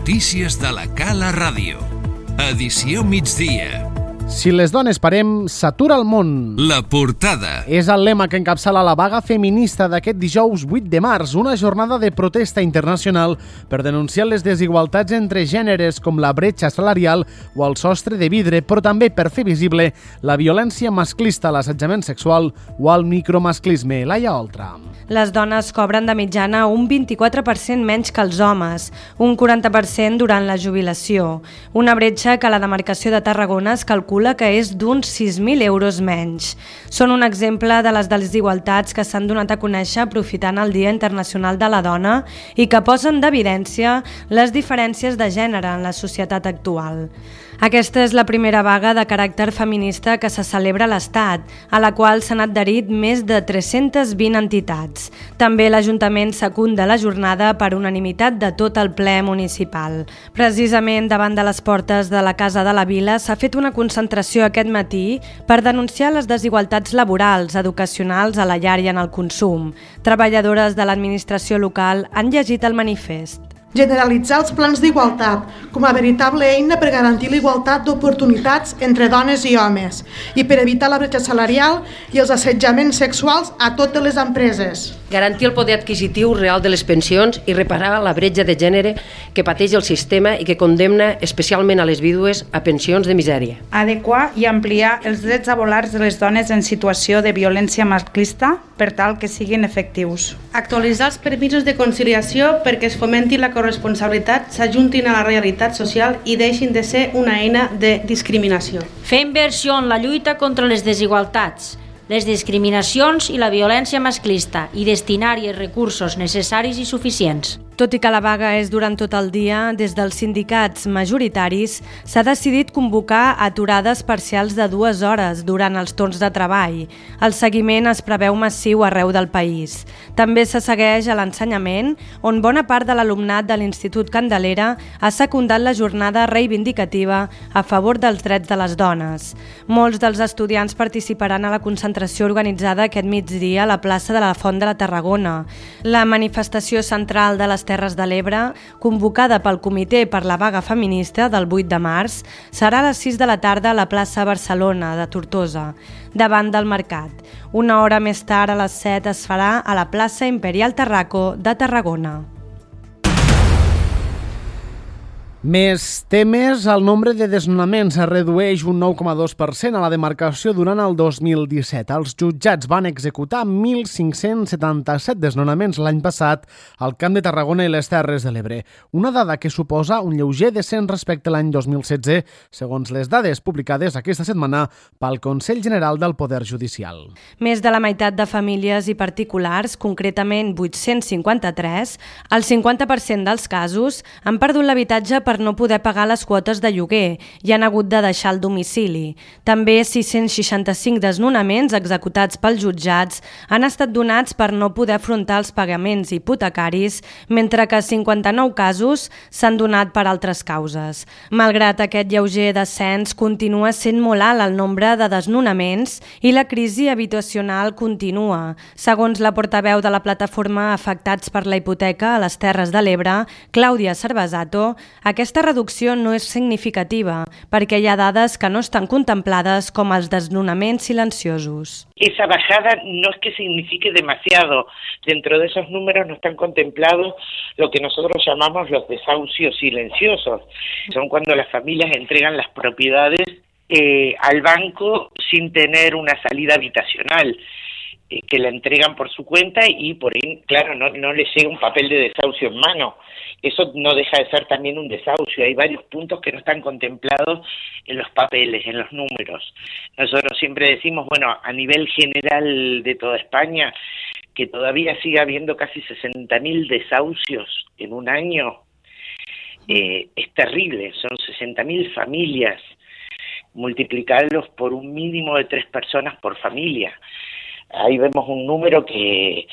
Notícies de la Cala Ràdio. Edició migdia. Si les dones parem, s'atura el món. La portada. És el lema que encapçala la vaga feminista d'aquest dijous 8 de març, una jornada de protesta internacional per denunciar les desigualtats entre gèneres com la bretxa salarial o el sostre de vidre, però també per fer visible la violència masclista, l'assetjament sexual o el micromasclisme. Laia Oltra. Les dones cobren de mitjana un 24% menys que els homes, un 40% durant la jubilació, una bretxa que la demarcació de Tarragona es calcula que és d'uns 6.000 euros menys. Són un exemple de les desigualtats que s'han donat a conèixer aprofitant el Dia Internacional de la Dona i que posen d'evidència les diferències de gènere en la societat actual. Aquesta és la primera vaga de caràcter feminista que se celebra a l'Estat, a la qual s'han adherit més de 320 entitats. També l'Ajuntament secunda la jornada per unanimitat de tot el ple municipal. Precisament davant de les portes de la Casa de la Vila s'ha fet una concentració aquest matí per denunciar les desigualtats laborals, educacionals, a la llar i en el consum. Treballadores de l'administració local han llegit el manifest. Generalitzar els plans d'igualtat com a veritable eina per garantir la igualtat d'oportunitats entre dones i homes i per evitar la bretxa salarial i els assetjaments sexuals a totes les empreses. Garantir el poder adquisitiu real de les pensions i reparar la bretxa de gènere que pateix el sistema i que condemna especialment a les vídues a pensions de misèria. Adequar i ampliar els drets laborals de les dones en situació de violència masclista per tal que siguin efectius. Actualitzar els permisos de conciliació perquè es fomenti la corresponsabilitat, s'ajuntin a la realitat social i deixin de ser una eina de discriminació. Fer inversió en la lluita contra les desigualtats, les discriminacions i la violència masclista i destinar-hi els recursos necessaris i suficients. Tot i que la vaga és durant tot el dia, des dels sindicats majoritaris s'ha decidit convocar aturades parcials de 2 hores durant els torns de treball. El seguiment es preveu massiu arreu del país. També se segueix a l'ensenyament, on bona part de l'alumnat de l'Institut Candelera ha secundat la jornada reivindicativa a favor dels drets de les dones. Molts dels estudiants participaran a la concentració organitzada aquest migdia a la plaça de la Font de la Tarragona. La manifestació central de les Terres de l'Ebre, convocada pel Comitè per la Vaga Feminista del 8 de març, serà a les 6 de la tarda a la plaça Barcelona de Tortosa, davant del mercat. Una hora més tard, a les 7, es farà a la plaça Imperial Tarraco de Tarragona. Més temes, el nombre de desnonaments es redueix un 9,2% a la demarcació durant el 2017. Els jutjats van executar 1.577 desnonaments l'any passat al Camp de Tarragona i les Terres de l'Ebre, una dada que suposa un lleuger descens respecte a l'any 2016, segons les dades publicades aquesta setmana pel Consell General del Poder Judicial. Més de la meitat de famílies i particulars, concretament 853, el 50% dels casos han perdut l'habitatge per no poder pagar les quotes de lloguer i han hagut de deixar el domicili. També 665 desnonaments executats pels jutjats han estat donats per no poder afrontar els pagaments hipotecaris, mentre que 59 casos s'han donat per altres causes. Malgrat aquest lleuger descens, continua sent molt alt el nombre de desnonaments i la crisi habitacional continua. Segons la portaveu de la plataforma Afectats per la Hipoteca a les Terres de l'Ebre, Clàudia Cervesato, aquesta reducció no és significativa perquè hi ha dades que no estan contemplades com els desnonaments silenciosos. Esa bajada no es que signifique demasiado. Dentro de esos números no están contemplados lo que nosotros llamamos los desahucios silenciosos. Son cuando las familias entregan las propiedades al banco sin tener una salida habitacional, que la entregan por su cuenta y por ahí, claro, no les llega un papel de desahucio en mano. Eso no deja de ser también un desahucio. Hay varios puntos que no están contemplados en los papeles, en los números. Nosotros siempre decimos, bueno, a nivel general de toda España, que todavía sigue habiendo casi 60.000 desahucios en un año, es terrible. Son 60.000 familias, multiplicarlos por un mínimo de 3 personas por familia. Ahí vemos un número que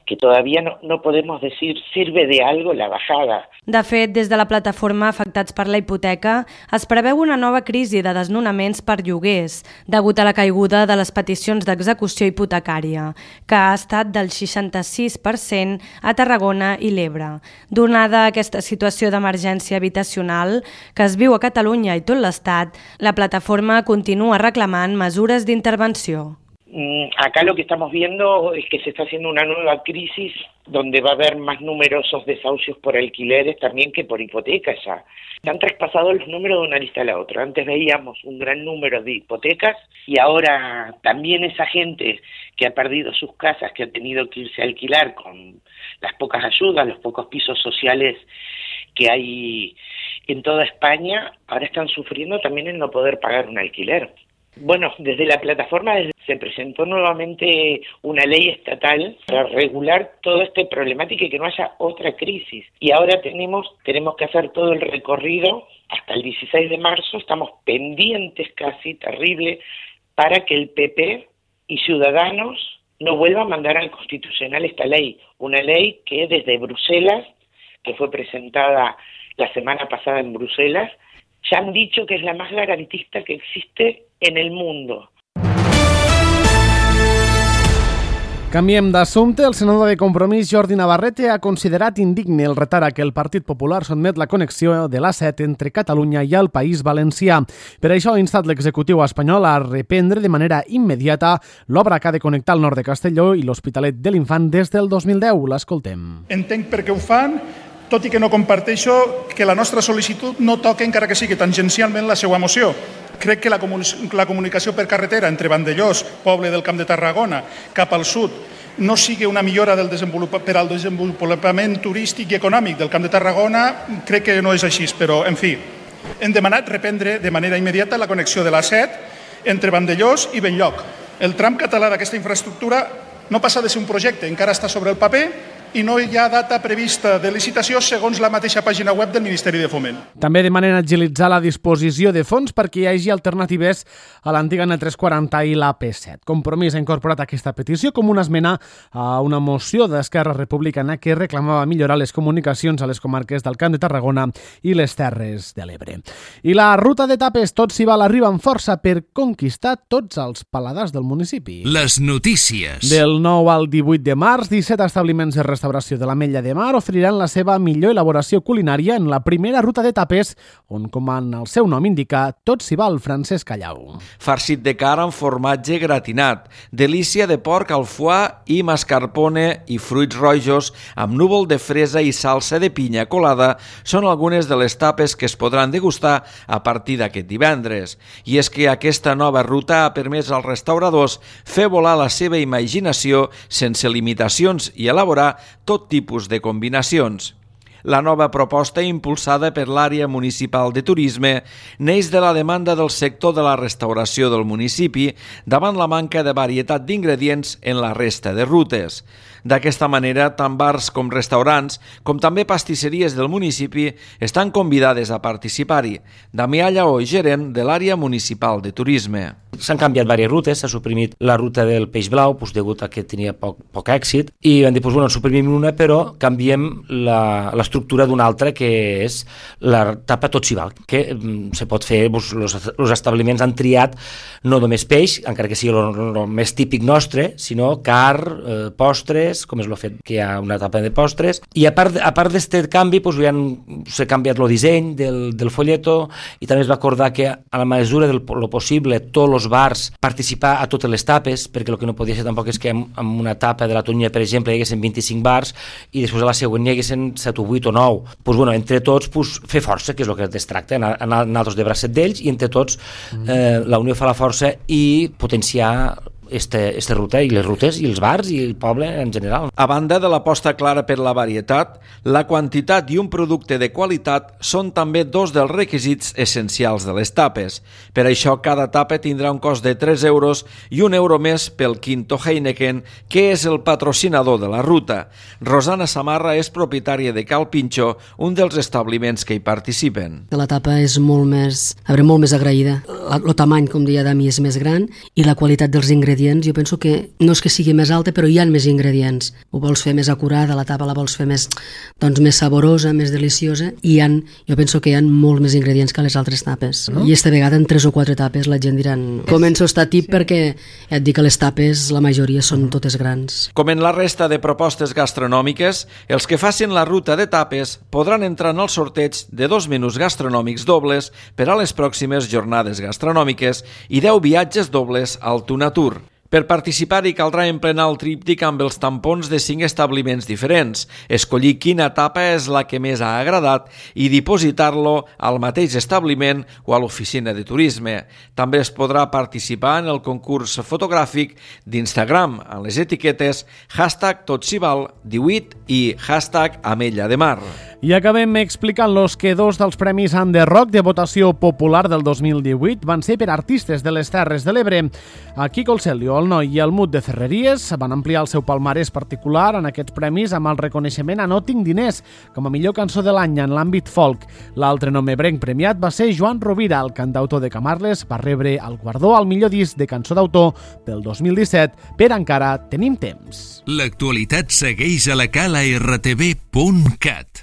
que todavía no podemos decir sirve de algo la bajada. De fet, des de la plataforma Afectats per la Hipoteca es preveu una nova crisi de desnonaments per lloguers, degut a la caiguda de les peticions d'execució hipotecària, que ha estat del 66% a Tarragona i l'Ebre. Donada aquesta situació d'emergència habitacional que es viu a Catalunya i tot l'Estat, la plataforma continua reclamant mesures d'intervenció. Acá lo que estamos viendo es que se está haciendo una nueva crisis donde va a haber más numerosos desahucios por alquileres también que por hipotecas ya. Se han traspasado los números de una lista a la otra. Antes veíamos un gran número de hipotecas y ahora también esa gente que ha perdido sus casas, que ha tenido que irse a alquilar con las pocas ayudas, los pocos pisos sociales que hay en toda España, ahora están sufriendo también el no poder pagar un alquiler. Bueno, desde la plataforma se presentó nuevamente una ley estatal para regular toda esta problemática y que no haya otra crisis. Y ahora tenemos que hacer todo el recorrido hasta el 16 de marzo, estamos pendientes casi, terrible, para que el PP y Ciudadanos no vuelvan a mandar al Constitucional esta ley. Una ley que desde Bruselas, que fue presentada la semana pasada en Bruselas, ya han dicho que es la más garantista que existe en el mundo. Canviem d'assumpte. El senador de Compromís, Jordi Navarrete, ha considerat indigne el retard a què el Partit Popular sotmet la connexió de l'A7 entre Catalunya i el País Valencià. Per això ha instat l'executiu espanyol a reprendre de manera immediata l'obra que ha de connectar el nord de Castelló i l'Hospitalet de l'Infant des del 2010. L'escoltem. Entenc per què ho fan, tot i que no comparteixo que la nostra sol·licitud no toca, encara que sigui tangencialment, la seva moció. Crec que la comunicació per carretera entre Vandellòs, poble del Camp de Tarragona, cap al sud, no sigui una millora per al desenvolupament turístic i econòmic del Camp de Tarragona, crec que no és així, però, en fi, hem demanat reprendre de manera immediata la connexió de l'A7 entre Vandellòs i Benlloc. El tram català d'aquesta infraestructura no passa de ser un projecte, encara està sobre el paper, i no hi ha data prevista de licitació segons la mateixa pàgina web del Ministeri de Foment. També demanen agilitzar la disposició de fons perquè hi hagi alternatives a l'antiga N340 i la P7. Compromís ha incorporat aquesta petició com una esmena a una moció d'Esquerra Republicana que reclamava millorar les comunicacions a les comarques del Camp de Tarragona i les Terres de l'Ebre. I la ruta d'etapes Tot s'hi val arriba amb força per conquistar tots els paladars del municipi. Les notícies. Del 9 al 18 de març, 17 establiments de restauració de l'Ametlla de Mar oferiran la seva millor elaboració culinària en la primera ruta d'etapes, on, com en el seu nom indica, tot s'hi val. Francesc Callau. Farcit de carn amb formatge gratinat, delícia de porc al foie i mascarpone i fruits rojos amb núvol de fresa i salsa de pinya colada són algunes de les tapes que es podran degustar a partir d'aquest divendres. I és que aquesta nova ruta ha permès als restauradors fer volar la seva imaginació sense limitacions i elaborar tot tipus de combinacions. La nova proposta, impulsada per l'àrea municipal de turisme, neix de la demanda del sector de la restauració del municipi davant la manca de varietat d'ingredients en la resta de rutes. D'aquesta manera, tant bars com restaurants, com també pastisseries del municipi, estan convidades a participar-hi. Damià Lleó, gerent de l'àrea municipal de turisme. S'han canviat diverses rutes, s'ha suprimit la ruta del Peix Blau, degut a que tenia poc èxit, i vam dir, suprimim una, però canviem l'estructura d'una altra, que és la tapa Tot s'hi val, que se pot fer, els establiments han triat no només peix, encara que sigui el més típic nostre, sinó carn, postres, com és el fet que hi ha una tapa de postres, i a part d'aquest canvi s'ha canviat el disseny del folleto, i també es va acordar que a la mesura del possible tots els bars participar a totes les tapes, perquè el que no podia ser tampoc és que en una tapa de la Tonya, per exemple, hi haguessin 25 bars i després a la següent hi haguessin 7 o 8 o 9. Entre tots fer força, que és el que es tracta, anar nosaltres de bracet d'ells, i entre tots la unió fa la força i potenciar aquesta ruta i les rutes i els bars i el poble en general. A banda de l'aposta clara per la varietat, la quantitat i un producte de qualitat són també dos dels requisits essencials de les tapes. Per això, cada tapa tindrà un cost de 3 euros i 1 euro més pel Quinto Heineken, que és el patrocinador de la ruta. Rosana Samarra és propietària de Cal Pinxo, un dels establiments que hi participen. La tapa és molt més agraïda. El tamany, com deia Dami, és més gran i la qualitat dels ingredients ingredients, jo penso que no és que sigui més alta, però hi ha més ingredients. Ho vols fer més acurada, la tapa la vols fer més, doncs, més saborosa, més deliciosa, i jo penso que hi ha molts més ingredients que les altres tapes. I esta vegada en 3 o 4 tapes la gent diran començo a estar tip perquè et dic que les tapes la majoria són totes grans. Com en la resta de propostes gastronòmiques, els que facin la ruta de tapes podran entrar en el sorteig de 2 menús gastronòmics dobles per a les pròximes jornades gastronòmiques i 10 viatges dobles al Tuna Tour. Per participar-hi caldrà emplenar el tríptic amb els tampons de 5 establiments diferents, escollir quina tapa és la que més ha agradat i dipositar-lo al mateix establiment o a l'oficina de turisme. També es podrà participar en el concurs fotogràfic d'Instagram en les etiquetes #totsival18 i #ametlla-de-mar. I acabem explicant-los que 2 dels premis Underrock de votació popular del 2018 van ser per artistes de les Terres de l'Ebre. A Quico el Celio, el Noi i el Mut de Ferreries van ampliar el seu palmarès particular en aquests premis amb el reconeixement a No tinc diners com a millor cançó de l'any en l'àmbit folk. L'altre nom ebrenc premiat va ser Joan Rovira, el cantautor de Camarles, va rebre el guardó al millor disc de cançó d'autor pel 2017 per Encara tenim temps. L'actualitat segueix a la cala rtv.cat.